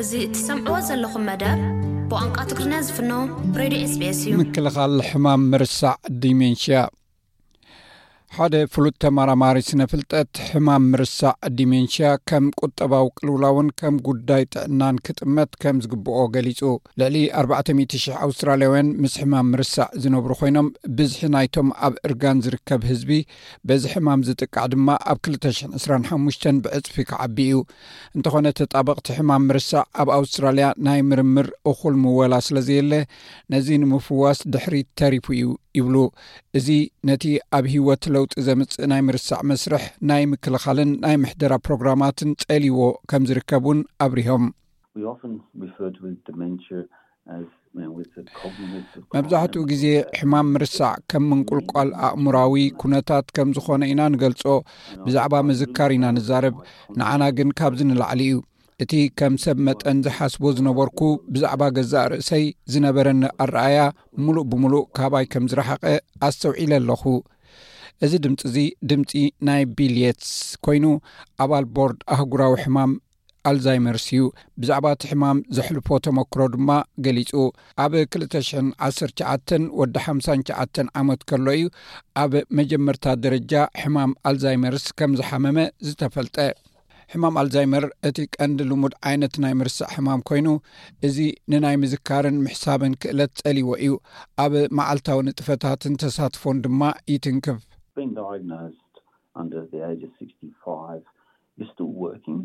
እዚ እትሰምዕዎ ዘለኹም መደብ ብቋንቋ ትግርኛ ዝፍኖ ሬድዮ ኤስቢኤስ እዩ። ምክልኻል ሕማም ምርሳዕ ዲሜንሽያ። ሓደ ፍሉጥ ተመራማሪ ስነ ፍልጠት፣ ሕማም ምርሳዕ ዲሜንሽያ ከም ቁጠባዊ ቅልውላውን ከም ጉዳይ ጥዕናን ክጥመት ከም ዝግብኦ ገሊጹ። ልዕሊ ኣርባዕተ ሚእቲ ሽሕ ኣውስትራልያውያን ምስ ሕማም ምርሳዕ ዝነብሩ ኮይኖም፣ ብዝሒ ናይቶም ኣብ እርጋን ዝርከብ ህዝቢ በዚ ሕማም ዝጥቃዕ ድማ ኣብ ክልተ ሽሕን ዕስራን ሓሙሽተን ብዕጽፊ ክዓቢ እዩ። እንተኾነ፣ ተጣበቕቲ ሕማም ምርሳዕ ኣብ ኣውስትራልያ ናይ ምርምር እኹል ምወላ ስለ ዘየለ፣ ነዚ ንምፍዋስ ድሕሪት ተሪፉ እዩ ይብሉ። እዚ ነቲ ኣብ ህይወት ለውጢ ዘምጽእ ናይ ምርሳዕ መስርሕ ናይ ምክልኻልን ናይ ምሕደራ ፕሮግራማትን ጸልይዎ ከም ዝርከብ እውን ኣብሪሆም። We often refer to it as dementia as, you know, with the cognitive decline. መብዛሕትኡ ግዜ ሕማም ምርሳዕ ከም ምንቁልቋል ኣእምራዊ ኩነታት ከም ዝኾነ ኢና ንገልጾ። ብዛዕባ ምዝካር ኢና ንዛረብ። ንዓና ግን ካብዚ ንላዕሊ እዩ። እቲ ከም ሰብ መጠን ዝሓስቦ ዝነበርኩ ብዛዕባ ገዛእ ርእሰይ ዝነበረኒ ኣረኣያ ምሉእ ብምሉእ ካባይ ከም ዝረሓቐ ኣስተውዒለ ኣለኹ። እዚ ድምጺ እዚ ድምጺ ናይ ቢል የትስ ኮይኑ፣ ኣባል ቦርድ ኣህጉራዊ ሕማም ኣልዛይመርስ እዩ። ብዛዕባ እቲ ሕማም ዘሕልፎ ተመክሮ ድማ ገሊጹ። ኣብ ክልተ ሽሕን ዓሰርተ ትሽዓተን ወዲ ሓምሳን ትሽዓተን ዓመት ከሎ እዩ ኣብ መጀመርታ ደረጃ ሕማም ኣልዛይመርስ ከም ዝሓመመ ዝተፈልጠ። ሕማም ኣልዛይመር እቲ ቀንዲ ልሙድ ዓይነት ናይ ምርሳዕ ሕማም ኮይኑ፣ እዚ ንናይ ምዝካርን ምሕሳብን ክእለት ጸልይዎ እዩ። ኣብ መዓልታዊ ንጥፈታትን ተሳትፎን ድማ ይትንክፍ። Been diagnosed under the age of sixty-five. You're still working.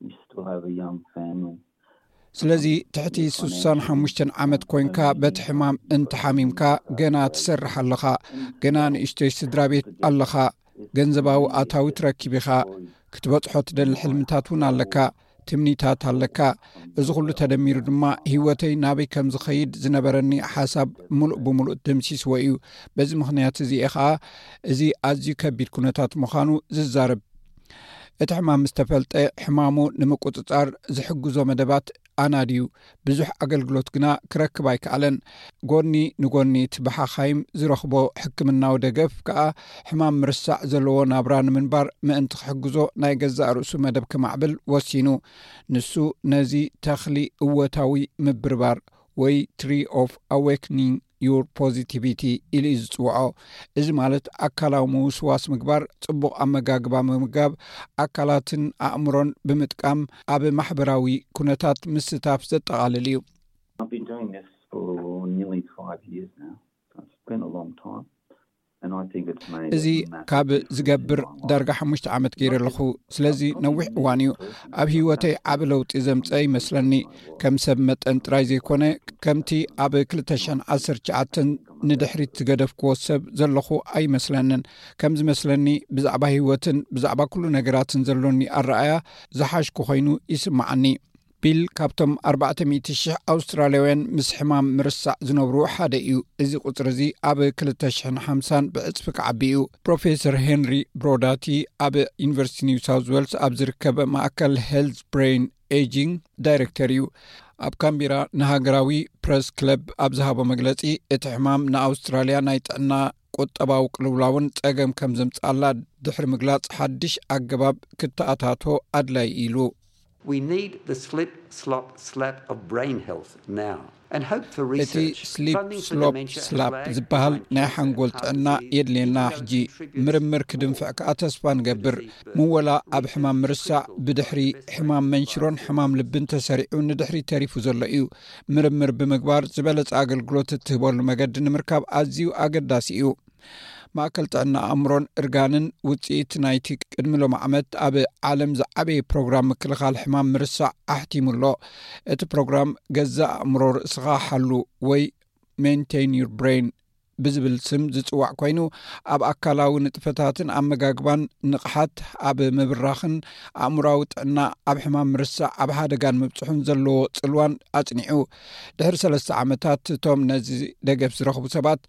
You still have a young family. ስለዚ ትሕቲ ስሳን ሓሙሽተን ዓመት ኮይንካ በቲ ሕማም እንተሓሚምካ፣ ገና ትሰርሕ ኣለኻ። ገና ንእሽተይ ስድራ ቤት ኣለኻ። ገንዘባዊ ኣታዊ ትረክብ ኢኻ። ክትበጽሖ ትደሊ ሕልምታት እውን ኣለካ። ትምኒታት ኣለካ። እዚ ኩሉ ተደሚሩ ድማ ህይወተይ ናበይ ከም ዝኸይድ ዝነበረኒ ሓሳብ ምሉእ ብምሉእ ደምሲስዎ እዩ። በዚ ምኽንያት እዚ እየ ኸኣ እዚ ኣዝዩ ከቢድ ኩነታት ምዃኑ ዝዛረብ። እቲ ሕማም ምስ ተፈልጠ፣ ሕማሙ ንምቁጽጻር ዝሕግዞ መደባት ኣናድዩ። ብዙሕ ኣገልግሎት ግና ክረክብ ኣይከኣለን። ጎኒ ንጎኒ እቲ ብሓኻይም ዝረኽቦ ሕክምናዊ ደገፍ ከኣ፣ ሕማም ምርሳዕ ዘለዎ ናብራ ንምንባር ምእንቲ ክሕግዞ፣ ናይ ገዛእ ርእሱ መደብ ከማዕብል ወሲኑ። ንሱ ነዚ ተኽሊ እወታዊ ምብርባር ወይ Tree of Awakening Your Positivity ኢሉ እዩ ዝጽውዖ። እዚ ማለት ኣካላዊ ምውስዋስ ምግባር፣ ጽቡቕ ኣመጋግባ ምምጋብ፣ ኣካላትን ኣእምሮን ብምጥቃም ኣብ ማሕበራዊ ኩነታት ምስታፍ ዘጠቓልል እዩ። I've been doing this for nearly five years now. So it's been a long time. And I think it's made እዚ a massive ካብ difference ዝገብር in my life. ዳርጋ ሓሙሽተ ዓመት ገይረ ኣለኹ። ስለዚ ነዊሕ እዋን እዩ። ኣብ ህይወተይ ዓቢ ለውጢ ዘምጸ ይመስለኒ። ከም ሰብ መጠን ጥራይ ዘይኮነ፣ ከምቲ ኣብ ክልተ ሽሕን ዓሰርተ ትሽዓተን ንድሕሪት ዝገደፍክዎ ሰብ ዘለኹ ኣይመስለንን። ከም ዝመስለኒ፣ ብዛዕባ ህይወትን ብዛዕባ ኩሉ ነገራትን ዘሎኒ ኣረኣያ ዝሓሽኩ ኮይኑ ይስምዓኒ። ቢል ካብቶም ኣርባዕተ ሚእቲ ሽሕ ኣውስትራልያውያን ምስ ሕማም ምርሳዕ ዝነብሩ ሓደ እዩ። እዚ ቁጽሪ እዚ ኣብ ክልተ ሽሕን ሓምሳን ብዕጽፊ ክዓቢ እዩ። ፕሮፌሰር ሄንሪ ብሮዳቲ ኣብ ዩኒቨርሲቲ ኒው ሳውዝ ዌልስ ኣብ ዝርከብ ማእከል ሄልዝ ብሬን ኤጂንግ ዳይሬክተር እዩ። ኣብ ካምቢራ ንሃገራዊ ፕረስ ክለብ ኣብ ዝሃቦ መግለጺ፣ እቲ ሕማም ንኣውስትራልያ ናይ ጥዕና ቁጠባዊ ቅልውላውን ጸገም ከም ዘምጽኣላ ድሕሪ ምግላጽ፣ ሓድሽ ኣገባብ ክተኣታቶ ኣድላይ ኢሉ። We need the slip, slop, slap of brain health now and hope for እቲ research, ስሊፕ funding for ስሎፕ dementia and ስላፕ lag ዝበሃል behind ናይ cancer, ሓንጎል heart ጥዕና disease, የድልየና። even though it ሕጂ contributes ምርምር ክድንፍዕ ከኣ ተስፋ ንገብር። ምወላ ኣብ ሕማም ምርሳዕ ብድሕሪ ሕማም መንሽሮን ሕማም ልብን ተሰሪዑ ንድሕሪ ተሪፉ ዘሎ እዩ። ምርምር ብምግባር ዝበለጸ ኣገልግሎት እትህበሉ መገዲ ንምርካብ ኣዝዩ ኣገዳሲ እዩ። ማእከል ጥዕና ኣእምሮን እርጋንን ውጽኢት ናይቲ ቅድሚ ሎም ዓመት ኣብ ዓለም ዝዓበየ ፕሮግራም ምክልኻል ሕማም ምርሳዕ ኣሕቲሙ ኣሎ። እቲ ፕሮግራም ገዛእ ኣእምሮ ርእስኻ ሓሉ ወይ Maintain Your Brain ብዝብል ስም ዝጽዋዕ ኮይኑ፣ ኣብ ኣካላዊ ንጥፈታትን ኣመጋግባን ንቕሓት ኣብ ምብራኽን ኣእምሮኣዊ ጥዕና ኣብ ሕማም ምርሳዕ ኣብ ሓደጋን ምብጽሑን ዘለዎ ጽልዋን ኣጽኒዑ። ድሕሪ ሰለስተ ዓመታት እቶም ነዚ ደገፍ ዝረኽቡ ሰባት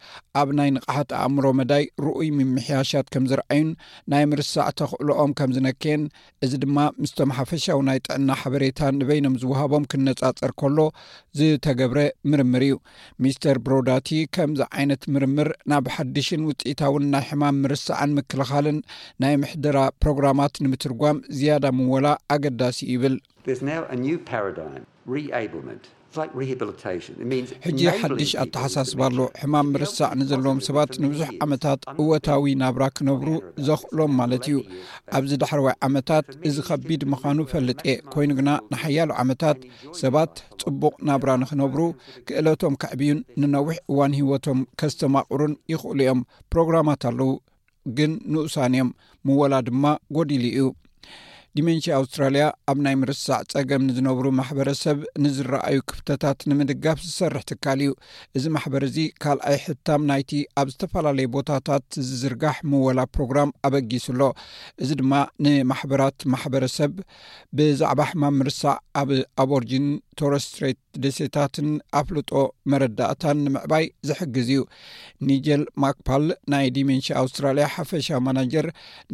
ኣብ ናይ ንቕሓት ኣእምሮ መዳይ ርኡይ ምምሕያሻት ከም ዝረኣዩን ናይ ምርሳዕ ተኽእሎኦም ከም ዝነከየን፣ እዚ ድማ ምስቶም ሓፈሻዊ ናይ ጥዕና ሓበሬታ ንበይኖም ዝወሃቦም ክነጻጸር ከሎ ዝተገብረ ምርምር እዩ። ሚስተር ብሮዳቲ ከምዚ ዓይነት ምርምር ናብ ሓድሽን ውፅኢታውን ናይ ሕማም ምርሳዕን ምክልኻልን ናይ ምሕደራ ፕሮግራማት ንምትርጓም ዝያዳ ምወላ ኣገዳሲ እዩ ይብል። There's now a new paradigm, reablement. It's like rehabilitation. It means ሕጂ ሓድሽ ኣተሓሳስባ ኣሎ። ሕማም ምርሳዕ ንዘለዎም ሰባት ንብዙሕ ዓመታት እወታዊ ናብራ ክነብሩ ዘኽእሎም ማለት እዩ። ኣብዚ ዳሕረዋይ ዓመታት እዚ ከቢድ ምዃኑ ፈልጥ እየ። ኮይኑ ግና ንሓያሎ ዓመታት ሰባት ጽቡቕ ናብራ ንኽነብሩ፣ ክእለቶም ከዕብዩን ንነዊሕ እዋን ህይወቶም ከስተማቕሩን ይኽእሉ እዮም። ፕሮግራማት ኣለዉ፣ ግን ንኡሳን እዮም። ምወላ ድማ ጎዲሉ እዩ። ዲሜንሽያ ኣውስትራልያ ኣብ ናይ ምርሳዕ ጸገም ንዝነብሩ ማሕበረሰብ ንዝረኣዩ ክፍተታት ንምድጋፍ ዝሰርሕ ትካል እዩ። እዚ ማሕበር እዚ ካልኣይ ሕታም ናይቲ ኣብ ዝተፈላለዩ ቦታታት ዝዝርጋሕ ምወላ ፕሮግራም ኣበጊሱ ኣሎ። እዚ ድማ ንማሕበራት ማሕበረሰብ ብዛዕባ ሕማም ምርሳዕ ኣብ ኣቦርጂን ቶረስ ስትሬት ደሴታትን ኣፍልጦ መረዳእታን ንምዕባይ ዝሕግዝ እዩ። ኒጀል ማክፓል ናይ ዲሜንሽያ ኣውስትራልያ ሓፈሻ ማናጀር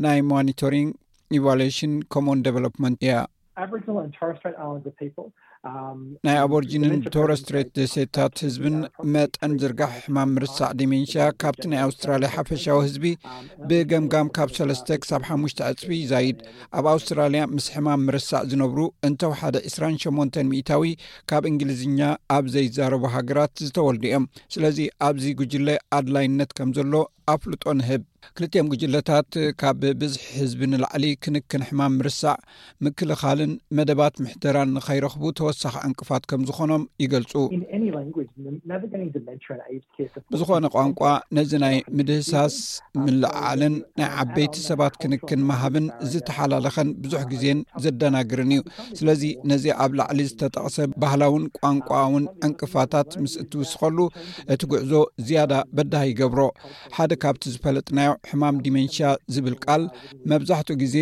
ናይ ሞኒቶሪንግ ኢቫሉዌሽን ኮሞን ዴቨሎፕመንት እያ። Aboriginal and Torres Strait Islander people um, ናይ ኣቦርጂንን ቶረስ ስትሬት ደሴታት ህዝብን መጠን ዝርጋሕ ሕማም ምርሳዕ ዲሜንሽያ ካብቲ ናይ ኣውስትራልያ ሓፈሻዊ ህዝቢ ብገምጋም ካብ ሰለስተ ክሳብ ሓሙሽተ ዕፅፊ ይዛይድ። ኣብ ኣውስትራልያ ምስ ሕማም ምርሳዕ ዝነብሩ እንተወሓደ ዕስራን ሸሞንተን ሚእታዊ ካብ እንግሊዝኛ ኣብ ዘይዛረቡ ሃገራት ዝተወልዱ እዮም። ስለዚ ኣብዚ ጉጅለ ኣድላይነት ከም ዘሎ ኣፍልጦ ንህብ። ክልቲኦም ጉጅለታት ካብ ብዝሒ ህዝቢ ንላዕሊ ክንክን ሕማም ምርሳዕ፣ ምክልኻልን መደባት ምሕደራን ንኸይረኽቡ ተወሳኺ ዕንቅፋት ከም ዝኾኖም ይገልጹ። In any language, navigating dementia and aged care support. ብዝኾነ ቋንቋ ነዚ ናይ ምድህሳስ ምልዓልን ናይ ዓበይቲ ሰባት ክንክን መሃብን ዝተሓላለኸን ብዙሕ ግዜን ዘደናግርን እዩ። ስለዚ ነዚ ኣብ ላዕሊ ዝተጠቕሰ ባህላውን ቋንቋውን ዕንቅፋታት ምስ እትውስኸሉ እቲ ጉዕዞ ዝያዳ በዳሂ ይገብሮ። ሓደ ካብቲ ዝፈለጥናዮ ሕማም ዲሜንሽያ ዝብል ቃል መብዛሕትኡ ግዜ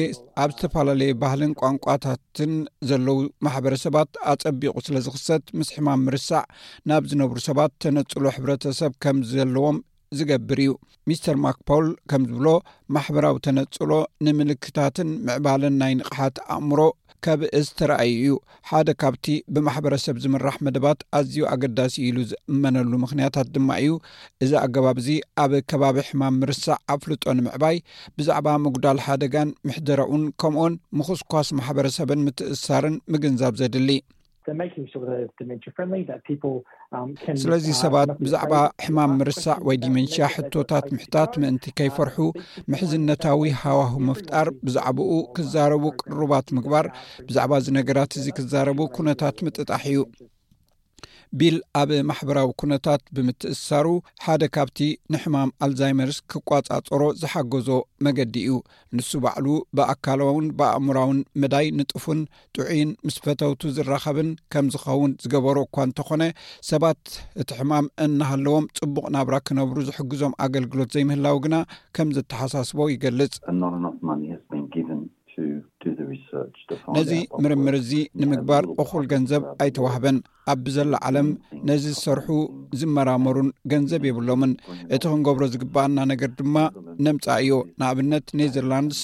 ኣብ ዝተፈላለየ ባህልን ቋንቋታትን ዘለዉ ማሕበረሰባት ኣጸቢቑ ስለ ዝኽሰት ምስ ሕማም ምርሳዕ ናብ ዝነብሩ ሰባት ተነጽሎ ሕብረተሰብ ከም ዘለዎም ዝገብር እዩ። ሚስተር ማክፖል ከም ዝብሎ ማሕበራዊ ተነጽሎ ንምልክታትን ምዕባለን ናይ ንቕሓት ኣእምሮ ከብእስ ተራእዩ እዩ። ሓደ ካብቲ ብማሕበረሰብ ዝምራሕ መደባት ኣዝዩ ኣገዳሲ ኢሉ ዝእመነሉ ምኽንያታት ድማ እዩ። እዚ ኣገባብ እዚ ኣብ ከባቢ ሕማም ምርሳዕ ኣፍልጦ ንምዕባይ፣ ብዛዕባ ምጉዳል ሓደጋን ምሕደረኡን ከምኡን ምኹስኳስ ማሕበረሰብን ምትእሳርን ምግንዛብ ዘድሊ። So making sure that it's dementia friendly, that people um, can. ስለዚ ሰባት ብዛዕባ ሕማም ምርሳዕ ወይ ዲሜንሽያ ሕቶታት ምሕታት ምእንቲ ከይፈርሑ፣ ምሕዝነታዊ ሃዋሁ ምፍጣር፣ ብዛዕባኡ ክዛረቡ ቅሩባት ምግባር፣ ብዛዕባ እዚ ነገራት እዚ ክዛረቡ ኩነታት ምጥጣሕ እዩ። ቢል ኣብ ማሕበራዊ ኩነታት ብምትእሳሩ ሓደ ካብቲ ንሕማም ኣልዛይመርስ ክቋጻጸሮ ዝሓገዞ መገዲ እዩ። ንሱ ባዕሉ ብኣካላውን ብኣእምራውን መዳይ ንጡፍን ጥዑይን ምስ ፈተውቱ ዝራኸብን ከም ዝኸውን ዝገበሮ እኳ እንተኾነ፣ ሰባት እቲ ሕማም እናሃለዎም ጽቡቕ ናብራ ክነብሩ ዝሕግዞም ኣገልግሎት ዘይምህላው ግና ከም ዘተሓሳስቦ ይገልጽ። And not enough money has been given to do the research to find ነዚ out what ምርምር works. እዚ ንምግባር እኹል ገንዘብ ኣይተዋህበን። ኣብ ብዘላ ዓለም ነዚ ዝሰርሑ ዝመራመሩን ገንዘብ የብሎምን። እቲ ክንገብሮ ዝግባኣና ነገር ድማ ነምጻእዮ። ንኣብነት ኔዘርላንድስ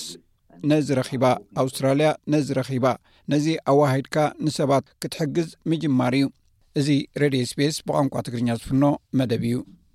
ነዚ ረኺባ፣ ኣውስትራልያ ነዚ ረኺባ። ነዚ ኣዋሂድካ ንሰባት ክትሕግዝ ምጅማር እዩ። እዚ ሬድዮ ኤስቢኤስ ብቋንቋ ትግርኛ ዝፍኖ መደብ እዩ።